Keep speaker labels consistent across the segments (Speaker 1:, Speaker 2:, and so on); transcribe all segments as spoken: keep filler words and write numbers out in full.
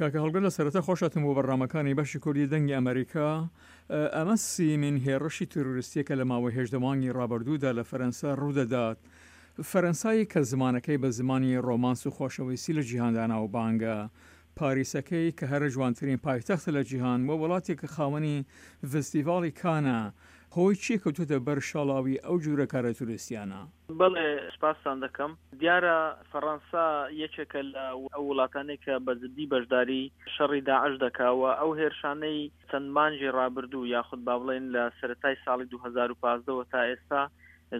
Speaker 1: کاکە هەڵگر لە سەرەتا خۆشهاتن بۆ بەرنامەکانی بەشی کوردی دەنگی ئەمەریکا. ئەمە سیمین هێڕشی تیرۆریستیە کە لە ماوەی هەژدە مانگی ڕابردوودا لە فەرەنسا ڕوودەدات. فەرەنسایی کە زمانەکەی بە زمانی ڕۆمانس و خۆشەویستی لە جیهاندا ناوبانگە، پاریسەکەی کە هەرە جوانترین پایتەختە لە جیهان و وڵاتێک کە خاوەنی ڤستیڤاڵی کانە، هۆی چیە کەوتۆتە بەر شاڵاوی ئەو جورە کارە توریستیانە؟
Speaker 2: بەڵێ سوپاستان دەکەم. دیارە فەڕەنسا یەکێکە لە ئەو وڵاتانەی کە بە جدی بەشداری شەڕی داعش دەکا و ئەو هێرشانەی چەند مانگی ڕابردوو یاخود با بڵێین لە سەرەتای ساڵی دوو هەزار و پازدە وە تا ئێستا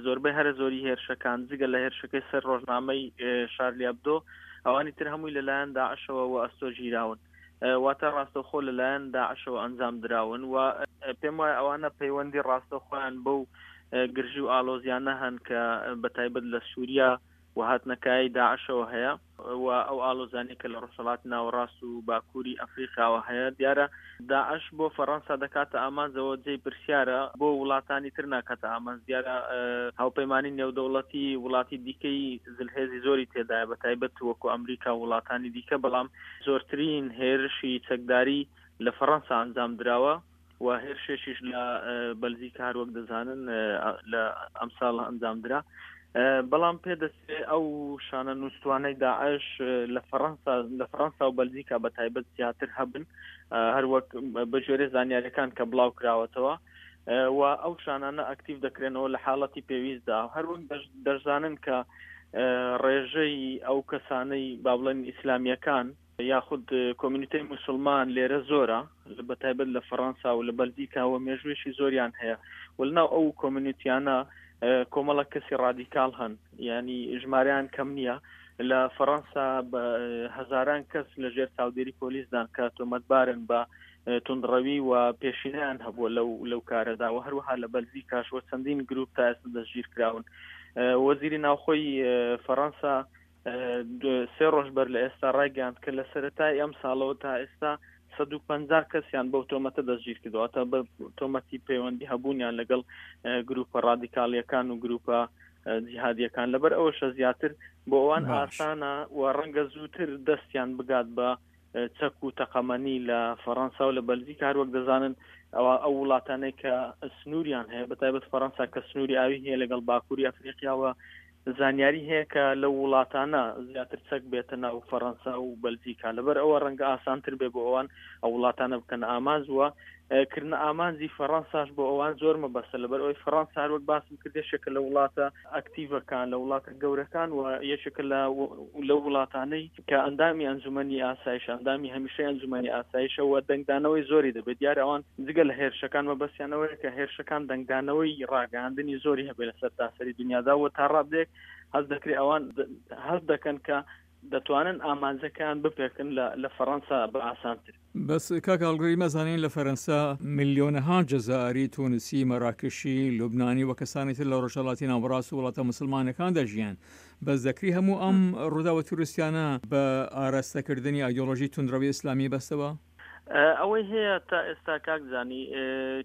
Speaker 2: زۆربەی هەرە زۆری هێرشەکان جگە لە هێرشەکەی سەر ڕۆژنامەی شارلی ئەبدۆ ئەوانی تر هەمووی لەلایەن داعشەوە وە ئەستۆ گیراون، واتە ڕاستەوخۆ لەلایەن داعشەوە ئەنجام دراون و پێم وایە ئەوانە پەیوەندی ڕاستەوخۆیان بەو گرژی و ئاڵۆزیانە هەن کە بە تایبەت لە سووریا و هاتنەکایەی داعشەوە هەیە و ئەو ئاڵۆزانەی کە لە ڕۆژهەڵاتی ناوەڕاست و باکووری ئەفریقاوە هەیە. دیارە داعش بۆ فەڕەنسا دەکاتە ئامانجەوە جێی پرسیارە بۆ وڵاتانی تر ناکاتە ئامانج. دیارە هاوپەیمانی نێودەوڵەتی وڵاتی دیکەی زلهێزی زۆری تێدایە بە تایبەت وەکو ئەمریکا و وڵاتانی دیکە، بەڵام زۆرترین هێرشی چەکداری لە فەڕەنسا ئەنجام دراوە و هێرشێکیش لە بەلجیکا هەروەک دەزانن لە ئەمساڵ ئەنجام درا. بەڵام پێدەچێت ئەو شانە نووسوانەی داعش لە فەڕەنسا لە فەڕەنسا و بەلجیکا بە تایبەت زیاتر هەبن، هەروەک بە گوێرەی زانیاریەکان کە بڵاو کراوەتەوە و ئەو شانانە ئەکتیڤ دەکرێنەوە لە حاڵەتی پێویستدا. هەروەک دەشزانن کە ڕێژەی ئەو کەسانەی با بڵێن ئیسلامیەکان یاخود کۆمیونیتەی موسڵمان لێرە زۆرە، بە تایبەت لە فەڕەنسا و لە بەلجیکا و مێژوویەکی زۆریان هەیە و لەناو ئەو کۆمیونیتیانە کۆمەڵە کەسی ڕادیکاڵ هەن، ینی ژمارەیان کەم نییە. لە فەڕەنسا بە هەزاران کەس لە ژێر چاودێری پۆلیسدان کە تۆمەتبارن بە توندڕەوی و پێشینەیان هەبووە لەو لەو کارەدا و هەروەها لە بەلجیکاش و چەندین گروپ تا ئێستا دەستگیر کراون. وەزیری ناوخۆی فەڕەنسا سێ ڕۆژ بەر لە ئێستا ڕایگەیاند کە لە سەرەتای ئەم ساڵەوە تا ئێستا سەد و پەنجا کەسیان بەو تۆمەتە دەستگیر کردووە، تا بە تۆمەتی پەیوەندی هەبوونیان لەگەڵ گروپە ڕادیکاڵیەکان و گروپە جیهادیەکان. لەبەر ئەوەشە زیاتر بۆ ئەوان ئاسانە و ڕەنگە زووتر دەستیان بگات بە چەک و تەقەمەنی لە فەڕەنسا و لە بەلجیکا. هەروەک دەزانن ئەوە ئەو وڵاتانەی کە سنووریان هەیە، بە تایبەت فەڕەنسا کە سنووری ئاوی هەیە لەگەڵ باکووری ئەفریقیاوە، زانیاری هەیە کە لەو وڵاتانە زیاتر چەک بێتە ناو فەڕەنسا و بەلجیکا. لەبەر ئەوە ڕەنگە ئاسانتر بێ بۆ ئەوان ئەو وڵاتانە بکەن ئامانج وە کردنە ئامانجی فەڕەنساش بۆ ئەوان زۆر مەبەستە. لەبەر ئەوەی فەڕەنسا هەروەک باسم کرد یەکێکە لە وڵاتە ئەکتیڤەکان، لە وڵاتە گەورەکان و یەکێکە لە لەو وڵاتانەی کە ئەندامی ئەنجومەنی ئاسایش، ئەندامی هەمیشەی ئەنجومەنی ئاسایشە و دەنگدانەوەی زۆری دەبێت. دیارە ئەوان جگە لە هێرشەکان مەبەستیانەوەیە کە هێرشەکان دەنگدانەوەی ڕاگەیاندنی زۆری هەبێت لە سەرتاسەری دنیادا و تا ڕادەیەک هەست دەکرێت ئەوان هەست دەکەن کە دەتوانن ئامانجەکان بپێکن لە فەڕەنسا بە ئاسانتر.
Speaker 1: بەس کاک هەڵگری مەزانین لە فەرەنسا ملیۆنەها جەزائری، تونسی، مەراکشی، لوبنانی و کەسانی تر لە ڕۆژهەڵاتی ناوەڕاست و وڵاتە موسڵمانەکان دەژیان. بەس دەکری هەموو ئەم ڕووداوە تیرۆریستیانە بە ئاراستەکردنی ئایدۆلۆژی توندڕەوی ئیسلامی بەستەوە؟
Speaker 2: ئەوەی هەیە تا ئێستا کاک زانی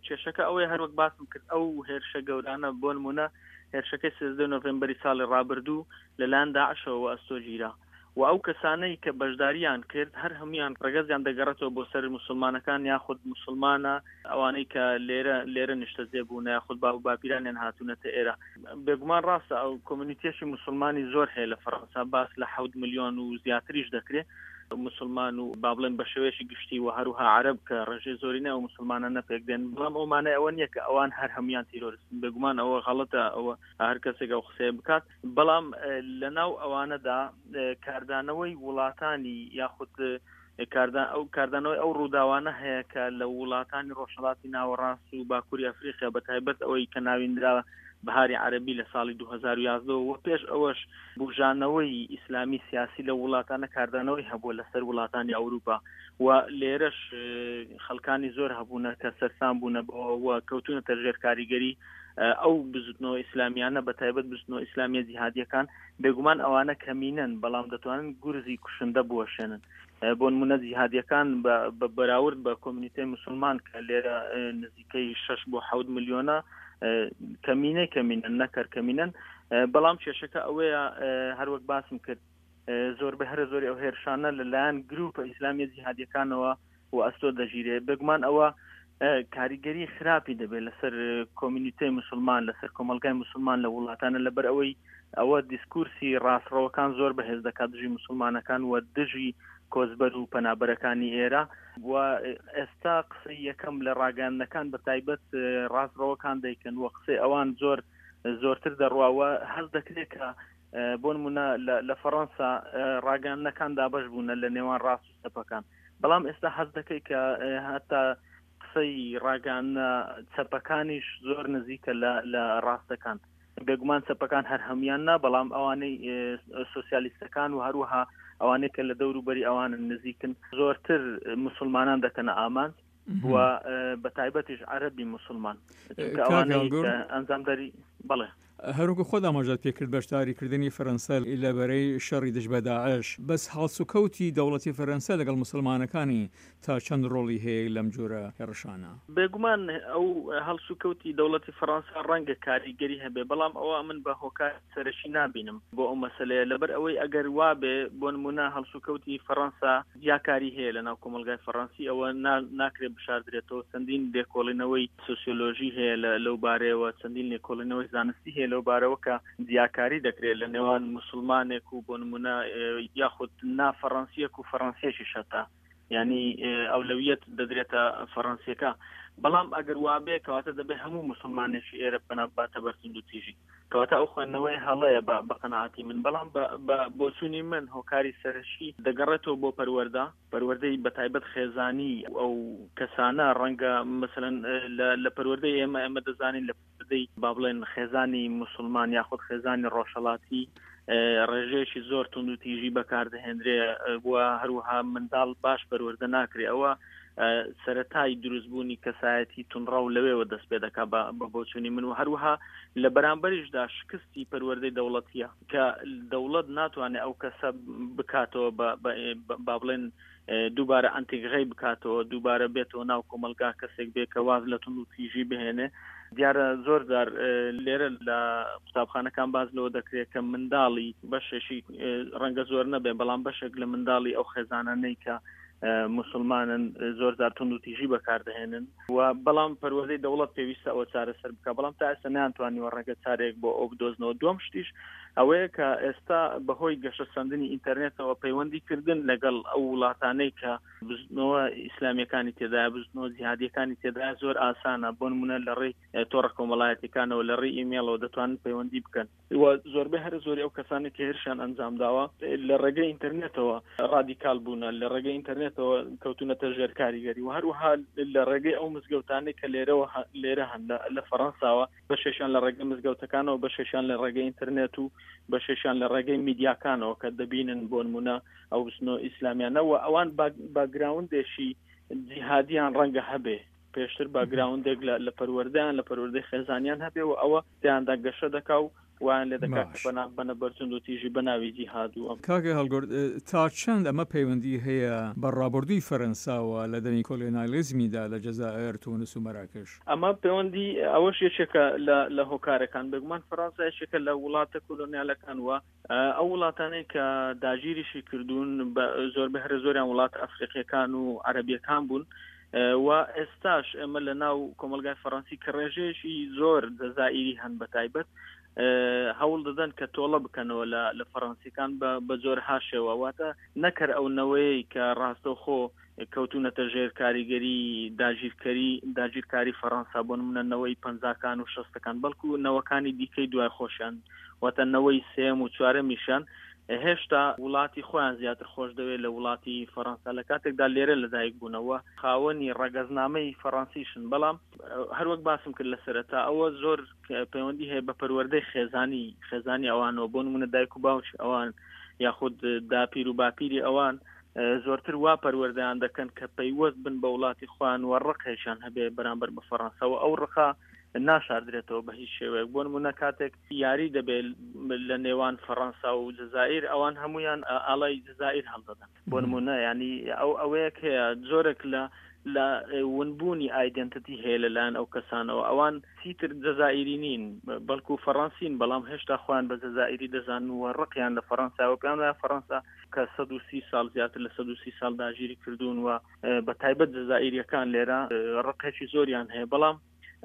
Speaker 2: کێشەکە ئەوەیە هەروەک باسم کرد ئەو هێرشە گەورانە بۆ نمونە هێرشەکەی سێزدە نۆڤێمبەری ساڵی ڕابردوو لەلایەن داعشەوە وە ئەستۆ گیرا و ئەو کەسانەی کە بەشداریان کرد هەر هەمویان ڕەگەزیان دەگەڕێتەوە بۆ سەر موسڵمانەکان یاخود موسڵمانە ئەوانەی کە لێرە لێرە نیشتەجێ بوون یاخود باو باپیرانیان هاتوونەتە ئێرە. بێگومان ڕاستە ئەو کۆمیونیتیەشی موسڵمانی زۆر هەیە لە فەڕەنسا، باس لە حەوت ملیۆن و زیاتریش دەکرێت مسلمان و با بڵێن بە شێوەیەکی گشتی و هەروها عەرەب کە ڕێژەی زۆرینە ئەو مسلمانانە پێک دێن. بەڵام ئەو مانای ئەوە نییە کە ئەوان هەر هەمویان تیرۆریستن، بێگومان ئەوە غەڵەتە ئەوە هەر کەسێک ئەو قسەیە بکات. بەڵام لەناو ئەوانەدا کاردانەوەی وڵاتانی یاخود ئەو کاردانەوەی ئەو ڕووداوانە هەیە کە لە وڵاتانی ڕۆژهەڵاتی ناوەڕاست و باکووری ئەفریقیا بە تایبەت ئەوەی کە ناویندرا بەهاری عەرەبی لە ساڵی دوو هەزار و یازدە و پێش ئەوەش بوژانەوەی ئیسلامی سیاسی لە وڵاتانە کاردانەوەی هەبووە لەسەر وڵاتانی ئەوروپا و لێرەش خەڵکانی زۆر هەبوونە کە سەرسام بوونە بەوە کەوتونەتە ژێر کاریگەری ئەو بزوتنەوە ئیسلامیانە بە تایبەت بزوتنەوە ئیسلامیە جیهادیەکان. بێگومان ئەوانە کەمینەن بەڵام دەتوانن گورزی کوشندە بوەشێنن. بۆ نمونە جیهادیەکان بە بەراورد بە کۆمیونیتەی مسلمان کە لێرە نزیکەی شەش بۆ حەوت ملیۆنە کەمینەی کەمینەن نەکەر کەمینەن. بەڵام کێشەکە ئەوەیە هەروەک باسم کرد زۆربەی هەرە زۆری ئەو هێرشانە لەلایەن گروپە ئیسلامیە جیهادیەکانەوە و ئەستۆ دەگیرێ. بێگومان ئەوە کاریگەری خراپی دەبێت لەسەر کۆمیونیتەی مسلمان، لەسەر کۆمەلگای مسلمان لە وڵاتانە، لەبەر ئەوەی ئەوە دیسکورسی ڕاستڕەوەکان زۆر بەهێز دەکات دژی مسلمانەکان و دژی کۆچبەر و پەنابەرەکانی ئێرە. و ئێستا قسەی یەکەم لە ڕاگەیاندنەکان بە تایبەت ڕاستڕەوەکان دەیکەن و قسەی ئەوان زۆر زۆرتر دەڕواوە. هەست دەکرێت کە بۆ نمونە لە فەڕەنسا ڕاگەیاندنەکان دابەش بوونە لە نێوان ڕاست و چەپەکان، بەڵام ئێستا هەست دەکەی کە هەتا قسەی ڕاگەیاندنە چەپەکانیش زۆر نزیکە لە ڕاستەکان. بێگومان چەپەکان هەر هەمویان نا، بەڵام ئەوانەی سۆسیالیستەکان و هەروەها ئەوانەی کە لە دەوروبەری ئەوانن نزیکن زۆرتر مسلمانان دەکەنە ئامانج و بە تایبەتیش عەرەبی مسلمان، چونکە ئەوانەی ئەنجامدەری بەڵێ.
Speaker 1: هەروەکو خۆت ئاماژەت پێکرد بەشداریکردنی فەرەنسا لە بەرەی شەڕی دژ بە داعش، بەس هەڵسوکەوتی دەوڵەتی فەرەنسا لەگەڵ مسلمانەکانی تا چەند ڕۆڵی هەیە لەم جۆرە هێڕشانە؟
Speaker 2: بێگومان ئەو هەڵسوکەوتی دەوڵەتی فەرەنسا ڕەنگە کاریگەری هەبێ، بەڵام ئەوە من بە هۆکار سەرەکی نابینم بۆ ئەو مەسلەیە، لەبەر ئەوەی ئەگەر وابێ بۆ نمونە هەڵسوکەوتی فەرەنسا جیاکاری هەیە لەناو کۆمەلگای فەرەنسی، ئەوە ناکرێت بشاردرێتەوە. چەندین لێکۆڵینەوەی سۆسیۆلۆژی هەیە لەو بارەیەوە، چەندین لێکۆڵینەوەی زانستی هەیە لەو بارەوە کە جیاکاری دەکرێت لە نێوان مسلمانێک و بۆ نمونە یاخود نافەڕەنسیەک و فەڕەنسیەکی شەتا، یعنی ئەولەویەت دەدرێتە فەڕەنسیەکە. بەڵام ئەگەر وابێ کەواتە دەبێت هەموو مسلمانێکی ئێرە پەنا بباتە بەر توندوتیژی، کەواتە ئەو خوێندنەوەی هەڵەیە بە قەناعەتی من. بەڵام بە بۆچوونی من هۆکاری سەرەکی دەگەڕێتەوە بۆ پەروەردە، پەروەردەی بە تایبەت خێزانی ئەو کەسانە. ڕەنگە مثلەن لە پەروەردەی ئێمە ئێمە دەزانین لە پەروەردەی با بڵێن خێزانی مسلمان یاخود خێزانی ڕۆژهەڵاتی ڕێژەیەکی زۆر توندوتیژی بەکاردەهێنرێ و هەروەها منداڵ باش پەروەردە ناکرێ. ئەوە سەرەتای دروستبوونی کەسایەتی تونڕەو لەوێوە دەست پێ دەکا بە بۆچوونی من. و هەروەها لە بەرامبەریشدا شکستی پەروەردەی دەوڵەتیە کە دەوڵەت ناتوانێت ئەو کەسە بکاتەوە با بڵێن دووبارە ئەنتیگڕەی بکاتەوە، دووبارە بێتەوە ناو کۆمەلگا، کەسێک بێ کە واز لە توندوتیژی بهێنێ. دیارە زۆر جار لێرە لە قوتابخانەکان باز لەوە دەکرێت کە منداڵی بەشێکی ڕەنگە زۆر نەبێ، بەڵام بەشێک لە منداڵی ئەو خێزانانەی کە مسلمانن زۆر جار توندوتیژی بەکاردەهێنن و بەڵام پەروەردەی دەوڵەت پێویستە ئەوە چارەسەر بکە، بەڵام تا ئێستا نەیانتوانیوە ڕێگە چارێک بۆ ئەو بدۆزنەوە. دووەم شتیش ئەوەیە کە ئێستا بەهۆی گەشەسەندنی ئینتەرنێتەوە پەیوەندیکردن لەگەڵ ئەو وڵاتانەی کە بزوتنەوە ئیسلامیەکانی تێدایە، بزوتنەوە جیهادیەکانی تێدایە زۆر ئاسانە. بۆ نمونە لە ڕێی تۆڕە کۆمەڵایەتیەکانەوە، لە ڕێی ئیمێڵەوە دەتوانن پەیوەندی بکەن و زۆربەی هەرە زۆری ئەو کەسانێک کە هێرشیان ئەنجام داوە لە ڕێگەی ئینتەرنێتەوە ڕادیکال بوونە، لە ڕێگەی ئینتەرنێتەوە کەوتونەتە ژێر کاریگەری و هەروەها لە ڕێگەی ئەو مزگەوتانەی کە لێرەوە لێرە هەن لە فەڕەنساوە، بەشێکیان لە ڕێگەی مزگەوتەکانەوە، بەشێکیان لە ڕێگەی ئینتەرنێت و بەشێکیان لە ڕێگەی میدیاکانەوە کە دەبینن بۆ نمونە ئەو بزنۆ ئیسلامیانە و ئەوان باگراوندێکی جیهادیان ڕەنگە هەبێ، پێشتر باگراوندێک لە پەروەردەیان لە پەروەردەی خێزانیان هەبێ و ئەوە تیاندا گەشە دەکا و وایان لێ دەکات کە بەنە بەرتوند و تیژی بە ناوی جیهاد و ئەم.
Speaker 1: کاکە هەڵگورد، تا چەند ئەمە پەیوەندی هەیە بە ڕابردووی فەرەنساوە لە دەمی کۆلۆنیالیزمیدا لە جەزائیر، تونس و مەراکش؟
Speaker 2: ئەمە پەیوەندی ئەوەش یەکێکە لە هۆکارەکان. بێگومان فەرەنسا یەکێکە لە وڵاتە کۆلۆنیالەکان و ئەو وڵاتانەی کە داگیریشی کردوون زۆربەی هەرە زۆریان وڵاتە ئەفریقیەکان و عەرەبیەکان بوون و ئێستاش ئێمە لە ناو کۆمەلگای فەڕەنسی کە ڕێژەیەکی زۆر جەزائیری هەن بە تایبەت هەوڵ دەدەن کە تۆڵە بکەنەوە لە فەڕەنسیەکان بە جۆرەها شێوە، واتە نەکەر ئەو نەوەیەی کە ڕاستەوخۆ کەوتونەتە ژێر کاریگەری داگیرکەری داگیرکاری فەڕەنسا، بۆ نمونە نەوەی پەنجاکان و شەستەکان، بەڵکو نەوەکانی دیکەی دوای خۆشیان، واتە نەوەی سێم و چوارەمیشیان هێشتا وڵاتی خۆیان زیاتر خۆش دەوێت لە وڵاتی فەڕەنسا، لە کاتێکدا لێرە لەدایک بوونەوە خاوەنی ڕەگەزنامەی فەڕەنسیشن. بەڵام هەروەک باسم کرد لە سەرەتا ئەوە زۆر پەیوەندی هەیە بە پەروەردەی خێزانی خێزانی ئەوانەوە، بۆ نمونە دایک و باوکی ئەوان یاخود داپیر و باپیری ئەوان زۆرتر وا پەروەردەیان دەکەن کە پەیوەست بن بە وڵاتی خۆیان و ڕقێکیان هەبێ بەرامبەر بە فەڕەنسا و ئەو ڕقە ناشاردرێتەوە بە هیچ شێوەیەک. بۆ نمونە کاتێک یاری دەبێت لە نێوان فەڕەنسا و جەزائیر، ئەوان هەمویان ئاڵای جەزائیر هەڵدەدەن بۆ نمونە. ینی ئەو ئەوەیەک هەیە جۆرێک لە لە ونبوونی identity هەیە لەلایەن ئەو کەسانەوە. ئەوان چیتر جەزائیری نین بەڵکو فەڕەنسین، بەڵام هێشتا خۆیان بە جەزائیری دەزانن و ڕقیان لە فەڕەنسا و پێیان وایە فەڕەنسا کە سەد و سی ساڵ زیاتر لە سەد و سی ساڵ داگیری کردوون و بە تایبەت جەزائیریەکان لێرە ڕقێکی زۆریان هەیە. بەڵام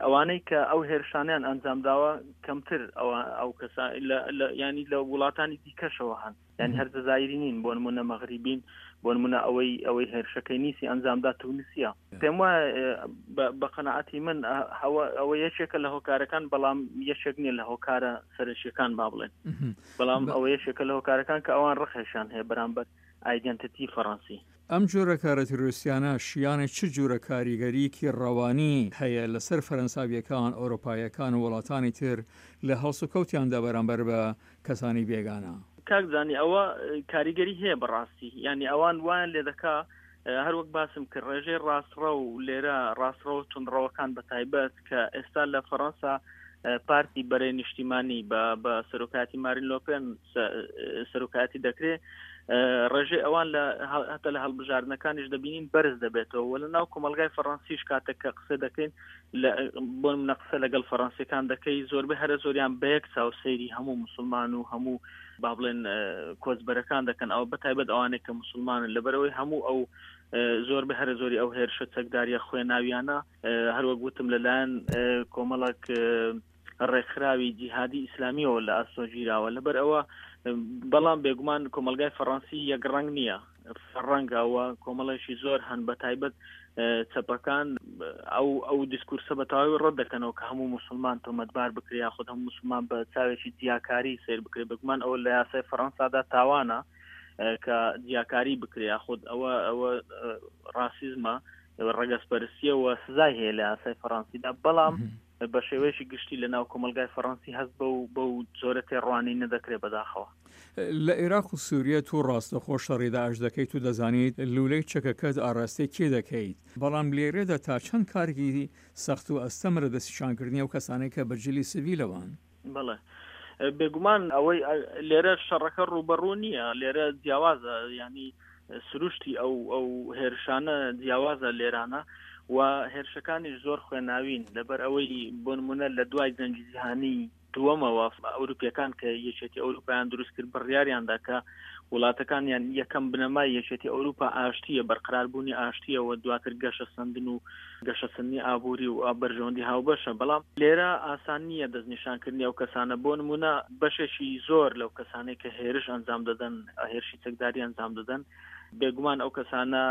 Speaker 2: ئەوانەی کە ئەو هێرشانیان ئەنجام داوە کەمتر ئەو کەسا ینی لە وڵاتانی دیکەشەوە هەن، یعنی هەر جەزائیری نین، بۆ نمونە مەغریبین، بۆ نمونە ئەوەی ئەوەی هێرشەکەی نیسی ئەنجامدا تونسیە. پێم وایە بە قەناعەتی من ئەوە یەکێکە لە هۆکارەکان، بەڵام یەکێک نییە لە هۆکارە سەرەکیەکان با بڵێن، بەڵام ئەوە یەکێکە لە هۆکارەکان کە ئەوان ڕقێکیان هەیە بەرامبەر identity فەڕەنسی.
Speaker 1: ئەم جۆرە کارە تیرۆریستیانە شیانە چ جۆرە کاریگەریەکی ڕەوانی هەیە لەسەر فەرەنساویەکان، ئەوروپایەکان و وڵاتانی تر لە هەڵسوکەوتیاندا بەرامبەر بە کەسانی بێگانە؟
Speaker 2: کاک زانی ئەوە کاریگەری هەیە بەڕاستی، یعنی ئەوان وایان لێ دەکا هەروەک باسم کرد ڕێژەی ڕاستڕەو لێرە ڕاستڕەو توندڕەوەکان بە تایبەت کە ئێستا لە فەڕەنسا پارتی بەرەی نیشتیمانی بە سەرۆکایەتی مارین لۆپێن سەرۆکایەتی دەکرێت، ڕێژەی ئەوان لە هەتا لە هەڵبژاردنەکانیش دەبینین بەرز دەبێتەوە. وە لە ناو کۆمەلگای فەڕەنسیش کاتێک کە قسە دەکەین بۆ نمونە قسە لەگەڵ فەڕەنسیەکان دەکەی، زۆربەی هەرە زۆریان بە یەک چاو سەیری هەموو مسلمان و هەموو با بڵێن کۆچبەرەکان دەکەن، ئەوە بە تایبەت ئەوانەی کە مسلمانن، لەبەرەوەی هەموو ئەو زۆر بە هەرە زۆری ئەو هێرشە چەکداریە خوێناویانە هەروەک وتم لەلایەن کۆمەڵک ڕێکخراوی جیهادی ئیسلامیەوە لە ئاستۆ گیراوە. لەبەر ئەوە بەڵام بێگومان کۆمەلگای فەڕەنسی یەک ڕەنگ نییە، ڕەنگەوە کۆمەڵێکی زۆر هەن بە تایبەت چەپەکان ئەو ئەو دیسکورسە بە تەواوی ڕەت دەکەنەوە کە هەموو مسلمان تۆمەتبار بکرێ یاخود هەموو مسلمان بە چاوێکی جیاکاری سەیر بکرێ. بێگومان ئەوە لە یاسای فەڕەنسادا تاوانە کە جیاکاری بکرێ، یاخود ئەوە ئەوە ڕاسیزمە ڕەگەزپەرستیەوە سزای هەیە لە یاسای فەڕەنسیدا. بەڵام بە شێوەیەکی گشتی لە ناو کۆمەلگای فەڕەنسی هەست بەو بەو جۆرە تێڕوانین نەدەکرێت بەداخەوە.
Speaker 1: لە عێراق و سووریە تو ڕاستەخۆ شەڕی داعش دەکەیت و دەزانیت لولەی چەکەکەت ئاراستەی کێ دەکەیت، بەڵام لێرەدا تا چەند کارێکی سەخت و ئەستەمە لە دەستنیشانکردنی ئەو کەسانەی کە بە جلی سڤیلەوەن؟
Speaker 2: بەڵێ بێگومان ئەوەی لێرە شەڕەکە ڕووبەڕوو نییە، لێرە جیاوازە، ینی سروشتی ئەو ئەو هێرشانە جیاوازە لێرانە و هێرشەکانیش زۆر خوێناوین. لەبەر ئەوەی بۆ نمونە لە دوای جەنگی جیهانی دووەمەوە ئەوروپیەکان کە یەکێتی ئەوروپایان دروست کرد بڕیاریاندا کە وڵاتەکانیان یەکەم بنەمای یەکێتی ئەوروپا ئاشتیە، بەرقراربوونی ئاشتیە و دواتر گەشەسەندن و گەشەسەندنی ئابووری و بەرژەوەندی هاوبەشە. بەڵام لێرە ئاسان نییە دەستنیشانکردنی ئەو کەسانە. بۆ نمونە بەشێکی زۆر لەو کەسانەی کە هێرش ئەنجام دەدەن، هێرشی چەکداری ئەنجام دەدەن، بێگومان ئەو کەسانە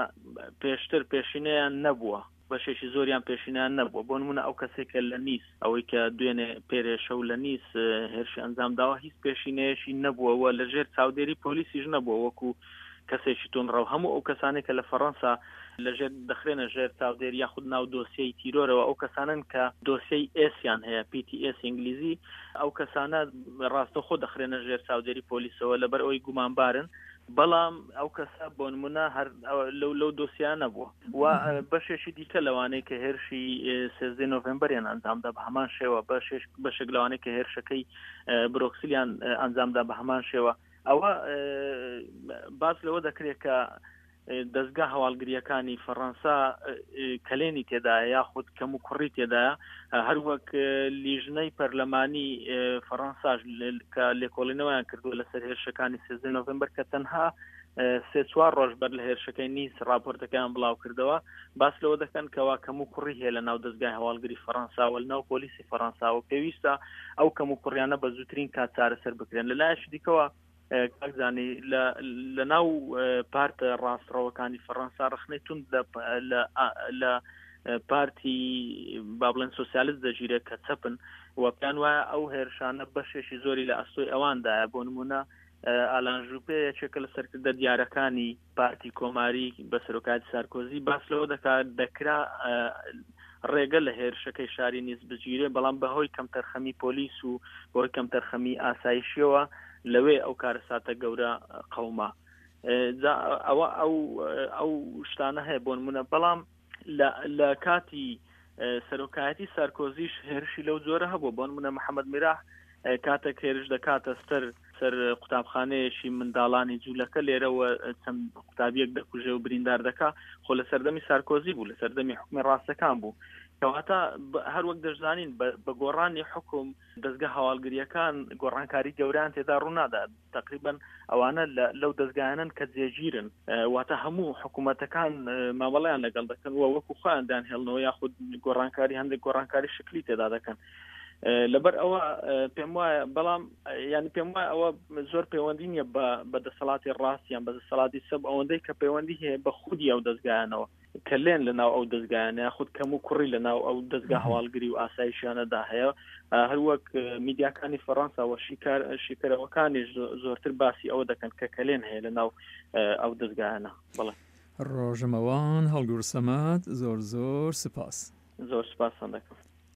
Speaker 2: پێشتر پێشینەیان نەبووە، بەشێکی زۆریان پێشینیان نەبووە. بۆ نمونە ئەو کەسێک کە لە نیس، ئەوەی کە دوێنێ پێرێشە و لە نیس هێرشی ئەنجام داوە، هیچ پێشینەیەکی نەبووە و لەژێر چاودێری پۆلیسیش نەبووە وەکو کەسێکی توندڕەو. هەموو ئەو کەسانێک کە لە فەڕەنسا لەژێر دەخرێنە ژێر چاودێری یاخود ناو دۆسیەی تیرۆرەوە، ئەو کەسانن کە دۆسیەی ئێسیان هەیە، پی تی ئێس ئینگلیزی، ئەو کەسانە ڕاستەوخۆ دەخرێنە ژێر چاودێری پۆلیسەوە لەبەر ئەوەی گومانبارن. بەڵام ئەو کەسە بۆ نمونە هەر لەو لەو دۆسیان نەبووە. و بەشێکی دیکە لەوانەی کە هێرشی سێزدەی نۆڤێمبەریان ئەنجامدا بە هەمان شێوە، بەشێک لەوانەی کە هێرشەکەی برۆکسلیان ئەنجامدا بە هەمان شێوە. ئەوە باس لەوە دەکرێت کە دەستگا هەواڵگریەکانی فەڕەنسا کەلێنی تێدایە یاخود کەم و کوڕی تێدایە. هەروەک لیژنەی پەرلەمانی فەڕەنساش کە لێکۆڵینەوەیان کردووە لەسەر هێرشەکانی سێزدە نۆڤێمبەر کە تەنها سێ چوار ڕۆژ بەر لە هێرشەکەی نیس راپۆرتەکەیان بڵاو کردەوە، باس لەوە دەکەن کەوا کەم و کوڕی هەیە لە ناو دەستگای هەواڵگری فەڕەنساوە، لە ناو پۆلیسی فەڕەنساوە. پێویستە ئەو کەم و کوڕیانە بە زووترین کات چارەسەر بکرێن. لەلایەکی دیکەوە کاک زانی لە ناو پارتە ڕاستڕەوەکانی فەڕەنسا ڕخنەی توند لە پارتی با بڵێن سۆسیالیست دەگیرێت کە چەپن و پێیان وایە ئەو هێرشانە بەشێکی زۆری لە ئەستۆی ئەواندایە. بۆ نمونە ئالان ژوپێ یەکێکە لە سەرکردە دیارەکانی پارتی کۆماری بە سەرۆکایەتی سارکۆزی، باس لەوە دەکات دەکرا ڕێگە لە هێرشەکەی شاری نیس بگیرێ، بەڵام بەهۆی کەمتەرخەمی پۆلیس و بەهۆی کەمتەرخەمی ئاسایشیەوە لەوێ ئەو کارەساتە گەورە قەوما. ئەوە ئەو ئەو شتانە هەیە بۆ نمونە. بەڵام لە کاتی سەرۆکایەتی سارکۆزیش هێرشی لەو جۆرە هەبوو. بۆ نمونە محەممەد میراح کاتێک هێرش دەکاتە سەر سەر قوتابخانەیەکی منداڵانی جوولەکە لێرەوە چەند قوتابیەک دەکوژێ و بریندار دەکا، خۆ لە سەردەمی سارکۆزی بوو، لە سەردەمی حکومی ڕاستەکان بوو. کەواتە هەروەک دەشزانین بە گۆڕانی حکوم دەستگە هەواڵگریەکان گۆڕانکاری گەوران تێدا ڕوونادات. تقریبا ئەوانە لەو دەستگایانن کە جێگیرن، واتە هەموو حکوومەتەکان مامەڵەیان لەگەڵ دەکەن و وەکو خۆیان دانهێڵنەوە یاخود گۆڕانکاری هەندێک گۆڕانکاری شکلی تێدا دەکەن. لەبەر ئەوە پێم وایە، بەڵام ینی پێم وایە ئەوە زۆر پەیوەندی نییە بە دەسەڵاتی ڕاستیان بە دەسەڵاتی سەب، ئەوەندەی کە پەیوەندی هەیە بە خودی ئەو دەستگایانەوە کە لێن لەناو ئەو دەستگایانە یاخود کەم و کوڕی لەناو ئەو دەستگا هەواڵگری و ئاسایشیانەدا هەیە. هەروەک میدیاکانی فەڕەنسا و شیکار شیکەرەوەکانیش زۆرتر باسی ئەوە دەکەن کە کەلێن هەیە لەناو ئەو دەستگایانە. بەڵێ
Speaker 1: ڕۆژەمەوان هەڵگور سەمەد، زۆر زۆر سپاس.
Speaker 2: زۆر سپاسان دەکەم.